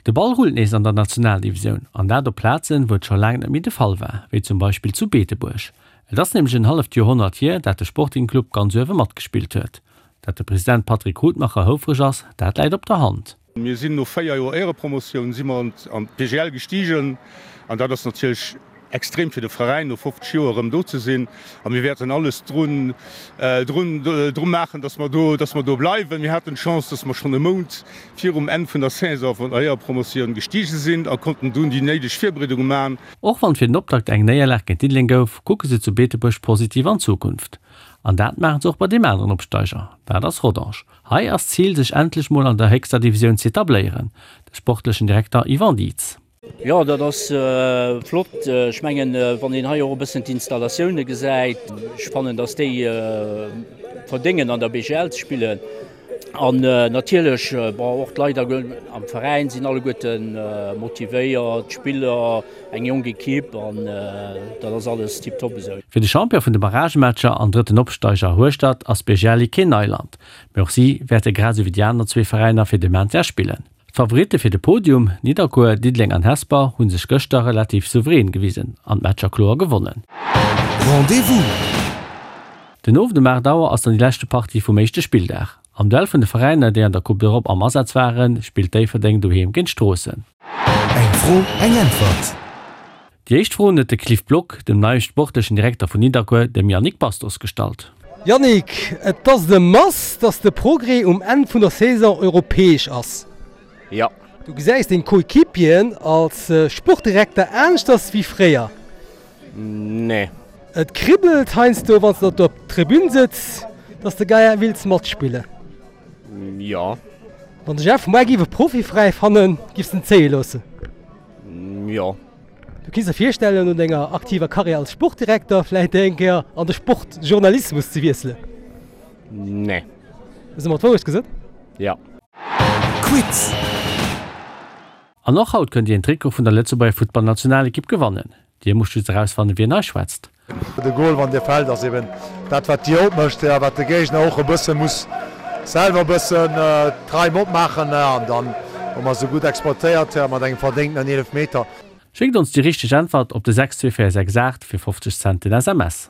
De Ball rullt nees an der Nationaldivisioun, an dat op Plazen, wou et scho laang net méi de Fall war, wéi zum Beispill zu Beetebuerg. Et ass nämlech en halleft Joerhonnert hier, dat de Sporting Club ganz uewe matgespillt huet. Dat de President Patrick Hutmacher houfreg ass, dat läit op der Hand. Mir sinn no 4 Joer Éierepromotioun si mer an d'BGL gestigen an dat ass natierlech extrem fir de Veräin no 50 Joer erëm do ze sinn a mir wäerten alles drun drun dru maachen, datt mer do datt mer do bleiwen. Mir haten d'Chance, datt mer schonn e Mount virum Enn vun der Saison vun der Éierepromotioun gestige sinn a konnten dunn déi néideg Virbereedunge maachen. Och wann fir den Optakt eng Néierlag géint Diddeleng gouf, kucke se zu Beetebuerg positiv an d'Zukunft. An dat maachen se och bei deem aneren Opsteiger, dat ass Rodange. Hei ass d'Zil, sech endlech mol an der héchster Divisioun z'etabléieren. De sportlechen Direkter Yvan Dietz. Jo, dat ass flott. Ech mengen, wann een hei och e bëssen d'Installatioune gesäit, ech fannen, datt déi verdéngen an der BGL ze spillen. An natierlech, bon, och d'Leit am Veräin sinn alleguerte motivéiert, d'Spiller, eng jonk Ekipp an dat ass alles tiptop esou. Fir de Champion vun de Barragematcher an drëtten Opsteiger Hueschtert ass d'BGL keen Neiland, mee och si wäerte grad esou wéi déi aner zwee Veräiner fir de Maintien spillen. D'Favoritte fir de Podium, Nidderkuer, Diddeleng an Hesper, hu sech gëschter relativ souverän gewisen an d'Matcher kloer gewonnen. Rendez-vous! Den Owend um 8 Auer ass dann déi leschte Partie vum éischte Spilldag. Am Duell vun de Veräiner, déi an der Coupe d'Europe am Asaz waren, spillt Déifferdeng doheem géint Stroossen. Eng Fro, eng Äntwert! Déi éischt Froen huet de Cliff Block dem neie sportlechen Direkter vun Nidderkuer, dem Yannick Bastos, gestallt. Yannick, et ass de Mass, dass de Progrès um Enn vun der Saison europäesch ass. Jo. Du gesäis deng Coéquipieren als Sportdirekter aneschters wéi fréier? Nee. Et kribbelt heiansdo, wann s de op der Tribün sëtz, dass de gär wills matspillen? Jo. Wann de Jeff muar giff e Profiveräi fannen, giffs de en zéie loossen? Jo. Du kinns der virstellen, no denger aktiver Karriär als Sportdirekter vläit eng Kéier an de Sportjournalismus ze wiesselen? Nee. Hues de mer d'Wourecht gesot? Jo. Quiz! An och haut kënnt Dir en Trikot vun der Lëtzebuerger Futtballnationalekipp gewannen. Dir musst just erausfannen, wien hei schwätzt. De Gol, wann dee fält, ass eben dat, wat d'Dier opmécht a wat de Géigner och e bësse muss selwer e bëssen d'Raim opmaachen. An dann hu mer se gutt exploitéiert mat engem verdéngtenen Eelefmeter. Schéckt ons déi richteg Äntwert op de 62468 fir 50 Cent den SMS.